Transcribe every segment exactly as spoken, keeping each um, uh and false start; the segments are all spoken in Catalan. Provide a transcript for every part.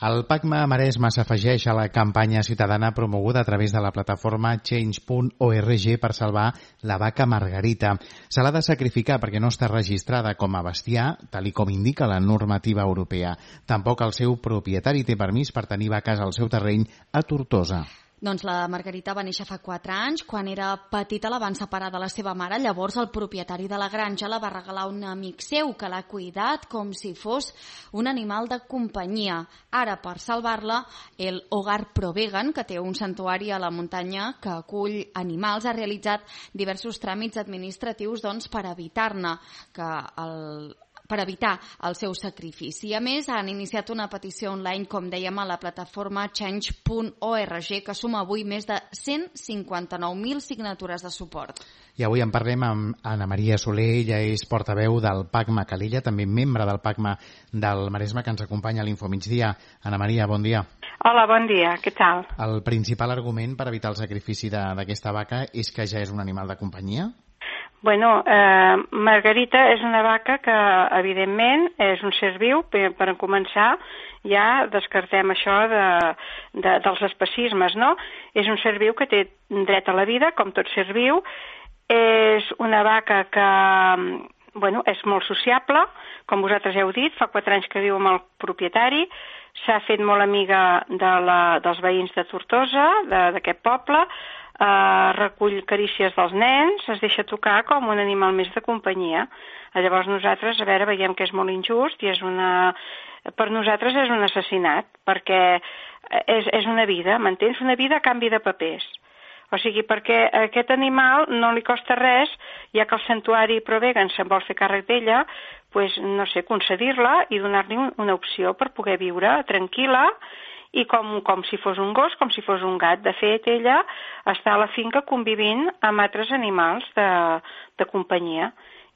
El PACMA Maresme s'afegeix a la campanya ciutadana promoguda a través de la plataforma change punt org per salvar la vaca Margarita. Se l'ha de sacrificar perquè no està registrada com a bestiar, tal i com indica la normativa europea. Tampoc el seu propietari té permís per tenir vaques al seu terreny a Tortosa. Doncs la Margarita va néixer fa quatre anys. Quan era petita la van separar de la seva mare. Llavors el propietari de la granja la va regalar a un amic seu que l'ha cuidat com si fos un animal de companyia. Ara, per salvar-la, el Hogar Pro Vegan, que té un santuari a la muntanya que acull animals, ha realitzat diversos tràmits administratius doncs, per evitar-ne que el... per evitar el seu sacrifici. A més, han iniciat una petició online, com dèiem, a la plataforma change punt org, que suma avui més de cent cinquanta-nou mil signatures de suport. I avui en parlem amb Anna Maria Soler, ella és portaveu del PACMA Calella, també membre del PACMA del Maresme, que ens acompanya a l'Infomigdia. Anna Maria, bon dia. Hola, bon dia, què tal? El principal argument per evitar el sacrifici d'aquesta vaca és que ja és un animal de companyia? Bueno, eh, Margarita és una vaca que, evidentment, és un ser viu. Per, per començar, ja descartem això de, de, dels especismes, no? És un ser viu que té dret a la vida, com tot ser viu. És una vaca que, bueno, és molt sociable, com vosaltres heu dit, fa quatre anys que viu amb el propietari, s'ha fet molt amiga de la, dels veïns de Tortosa, d'aquest poble, Uh, recull carícies dels nens, es deixa tocar com un animal més de companyia. Llavors nosaltres, a veure, veiem que és molt injust i és una... per nosaltres és un assassinat, perquè és, és una vida, m'entens? Una vida a canvi de papers. O sigui, perquè a aquest animal no li costa res, ja que el santuari Pro Vegan se'n vol fer càrrec d'ella, pues, no sé, concedir-la i donar-li un, una opció per poder viure tranquil·la i com, com si fos un gos, com si fos un gat. De fet, ella està a la finca convivint amb altres animals de, de companyia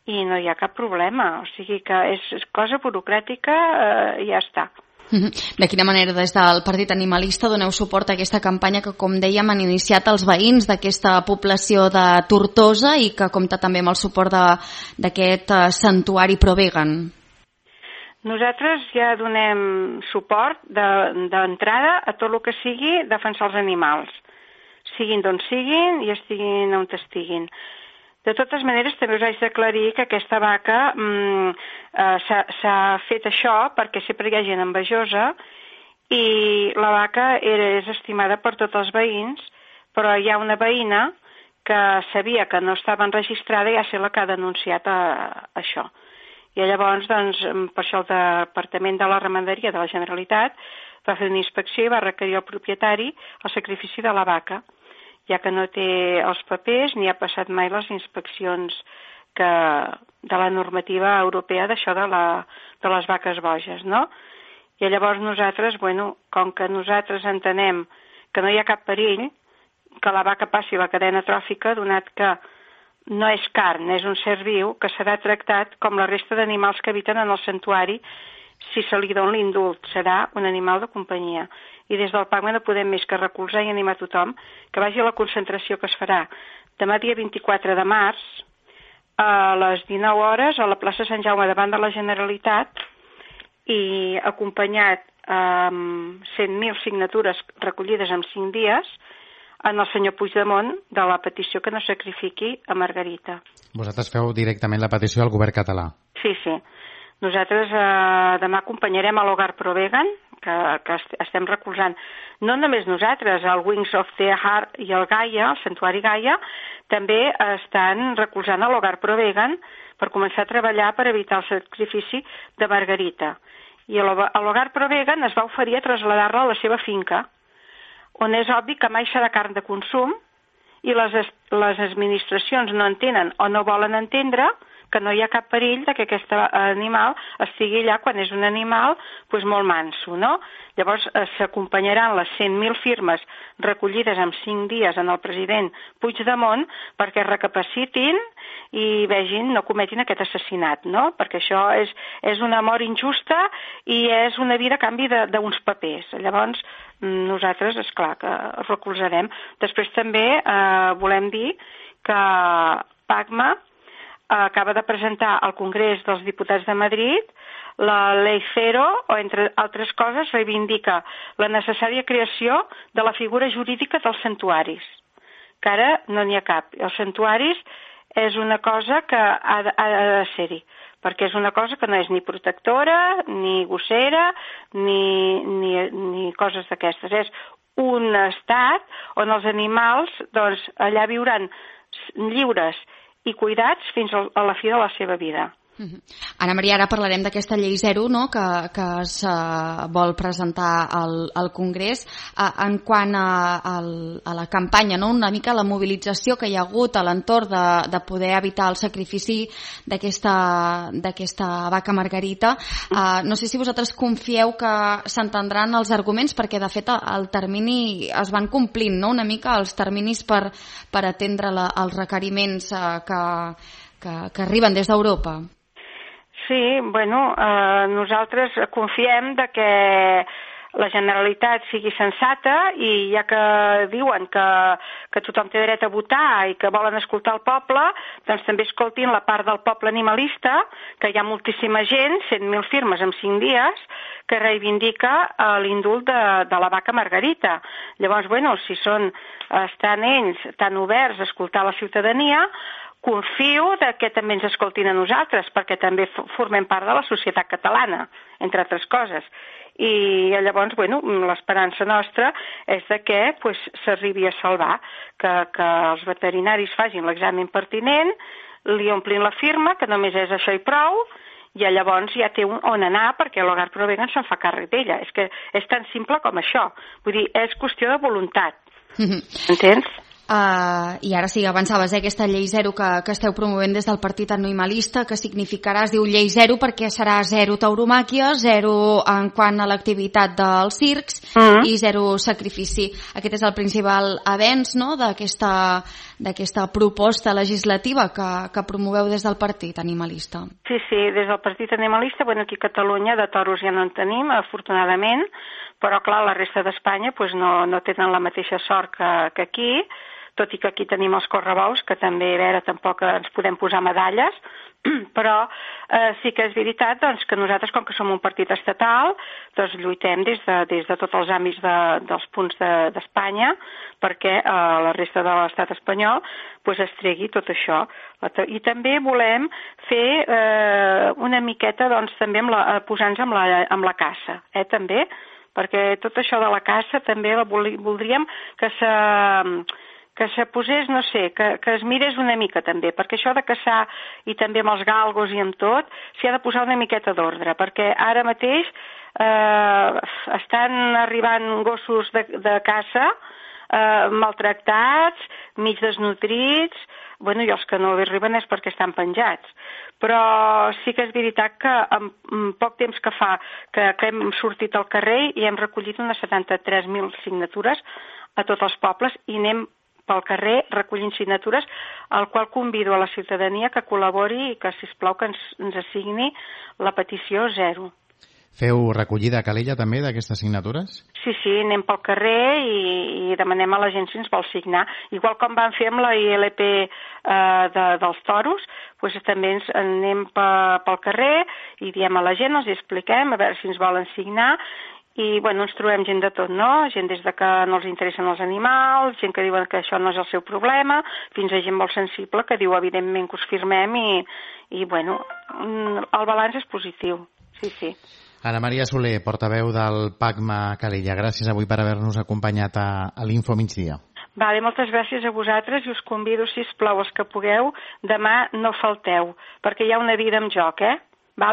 i no hi ha cap problema. O sigui que és, és cosa burocràtica eh, i ja està. De quina manera des del Partit Animalista doneu suport a aquesta campanya que, com dèiem, han iniciat els veïns d'aquesta població de Tortosa i que compta també amb el suport d'aquest santuari Pro Vegan? Nosaltres ja donem suport d'entrada de, a tot el que sigui defensar els animals, siguin d'on siguin i estiguin on estiguin. De totes maneres, també us haig d'aclarir que aquesta vaca mm, eh, s'ha fet això perquè sempre hi ha gent envejosa i la vaca era, és estimada per tots els veïns, però hi ha una veïna que sabia que no estava enregistrada i ha sigut la que ha denunciat a, a això. I llavors, doncs, per això el Departament de la Ramaderia de la Generalitat va fer una inspecció i va requerir al propietari el sacrifici de la vaca, ja que no té els papers ni ha passat mai les inspeccions que, de la normativa europea d'això de, la, de les vaques boges, no? I llavors nosaltres, bueno, com que nosaltres entenem que no hi ha cap perill que la vaca passi la cadena tròfica, donat que no és carn, és un ser viu que serà tractat com la resta d'animals que habiten en el santuari. Si se li dona l'indult, serà un animal de companyia. I des del PACMA no podem més que recolzar i animar tothom que vagi a la concentració que es farà demà dia vint-i-quatre de març a les dinou hores a la plaça Sant Jaume davant de la Generalitat i acompanyat amb cent mil signatures recollides en cinc dies en el senyor Puigdemont de la petició que no sacrifiqui a Margarita. Vosaltres feu directament la petició al govern català? Sí, sí. Nosaltres eh, demà acompanyarem a l'Hogar Pro Vegan, que, que estem recolzant. No només nosaltres, el Wings of the Heart i el Gaia, el Santuari Gaia, també estan recolzant a l'Hogar Pro Vegan per començar a treballar per evitar el sacrifici de Margarita. I l'Hogar Pro Vegan es va oferir a traslladar-la a la seva finca, on és obvi que mai serà carn de consum i les, les administracions no entenen o no volen entendre que no hi ha cap perill de que aquest animal estigui allà quan és un animal pues, molt manso, no? Llavors eh, s'acompanyaran les cent mil firmes recollides en cinc dies en el president Puigdemont perquè recapacitin i vegin, no cometin aquest assassinat, no? Perquè això és, és una mort injusta i és una vida a canvi d'uns papers. Llavors, nosaltres, esclar, que recolzarem. Després també eh, volem dir que PACMA acaba de presentar al Congrés dels Diputats de Madrid la Ley Cero, o entre altres coses reivindica la necessària creació de la figura jurídica dels santuaris, que ara no n'hi ha cap. Els santuaris és una cosa que ha de, ha de ser-hi, perquè és una cosa que no és ni protectora, ni gossera, ni, ni, ni coses d'aquestes. És un estat on els animals, doncs, allà viuran lliures i cuidats fins a la fi de la seva vida. Uh-huh. Anna Maria, ara parlarem d'aquesta llei zero, no?, que, que es uh, vol presentar al, al Congrés. Uh, en quant a, a, a la campanya, no?, una mica la mobilització que hi ha hagut a l'entorn de, de poder evitar el sacrifici d'aquesta d'aquesta vaca Margarita, uh, no sé si vosaltres confieu que s'entendran els arguments, perquè de fet el termini es van complint, no?, una mica els terminis per, per atendre la, els requeriments uh, que, que, que arriben des d'Europa. Sí, bueno, eh, nosaltres confiem de que la Generalitat sigui sensata i ja que diuen que, que tothom té dret a votar i que volen escoltar el poble, doncs també escoltin la part del poble animalista, que hi ha moltíssima gent, cent mil firmes en cinc dies, que reivindica eh, l'indult de, de la vaca Margarita. Llavors, bueno, si són, estan ells tan oberts a escoltar la ciutadania, confio de que també ens escoltin a nosaltres, perquè també formem part de la societat catalana, entre altres coses. I llavors, bueno, l'esperança nostra és de que pues, s'arribi a salvar, que, que els veterinaris facin l'examen pertinent, li omplin la firma, que només és això i prou, i llavors ja té on anar perquè l'Hogar Provegan se'n fa càrrec d'ella. És que és tan simple com això. Vull dir, és qüestió de voluntat. Entens? Uh, I ara sí, avançaves, eh, aquesta llei zero que, que esteu promovent des del Partit Animalista, que significarà, es diu llei zero perquè serà zero tauromàquia, zero en quant a l'activitat dels circs uh-huh. i zero sacrifici. Aquest és el principal avenç, no?, d'aquesta d'aquesta proposta legislativa que, que promoveu des del Partit Animalista. Sí, sí, des del Partit Animalista, bueno, aquí a Catalunya de toros ja no en tenim, afortunadament, però clar, la resta d'Espanya pues, no, no tenen la mateixa sort que, que aquí, tot i que aquí tenim els correbous, que també, a veure, tampoc ens podem posar medalles, però eh, sí que és veritat doncs, que nosaltres, com que som un partit estatal, doncs lluitem des de, des de tots els àmbits de, dels punts d'Espanya de, perquè eh, la resta de l'estat espanyol pues, es tregui tot això. I també volem fer eh, una miqueta doncs, també amb la, posar-nos amb la, amb la caça, eh, també, perquè tot això de la caça també la voldríem que se... que se posés, no sé, que, que es mirés una mica també, perquè això de caçar i també amb els galgos i amb tot, s'hi ha de posar una miqueta d'ordre, perquè ara mateix eh, estan arribant gossos de, de caça eh, maltractats, mig desnutrits, bueno, i els que no arriben és perquè estan penjats. Però sí que és veritat que en, en poc temps que fa que, que hem sortit al carrer i hem recollit unes setanta-tres mil signatures a tots els pobles i anem pel carrer recollint signatures, al qual convido a la ciutadania que col·labori i que, sisplau, que ens, ens assigni la petició zero. Feu recollida a Calella també d'aquestes signatures? Sí, sí, anem pel carrer i, i demanem a la gent si ens vol signar. Igual com vam fer amb la I L P eh, de, dels toros, doncs també ens anem pe, pel carrer i diem a la gent, els expliquem, a veure si ens volen signar. I, bueno, ens trobem gent de tot, no? Gent des de que no els interessen els animals, gent que diuen que això no és el seu problema, fins a gent molt sensible que diu, evidentment, que us firmem i, i bueno, el balanç és positiu, sí, sí. Anna Maria Soler, portaveu del PACMA Calella, gràcies avui per haver-nos acompanyat a, a l'Info Migdia. Vale, moltes gràcies a vosaltres i us convido, sisplau, els que pugueu, demà no falteu, perquè hi ha una vida en joc, eh?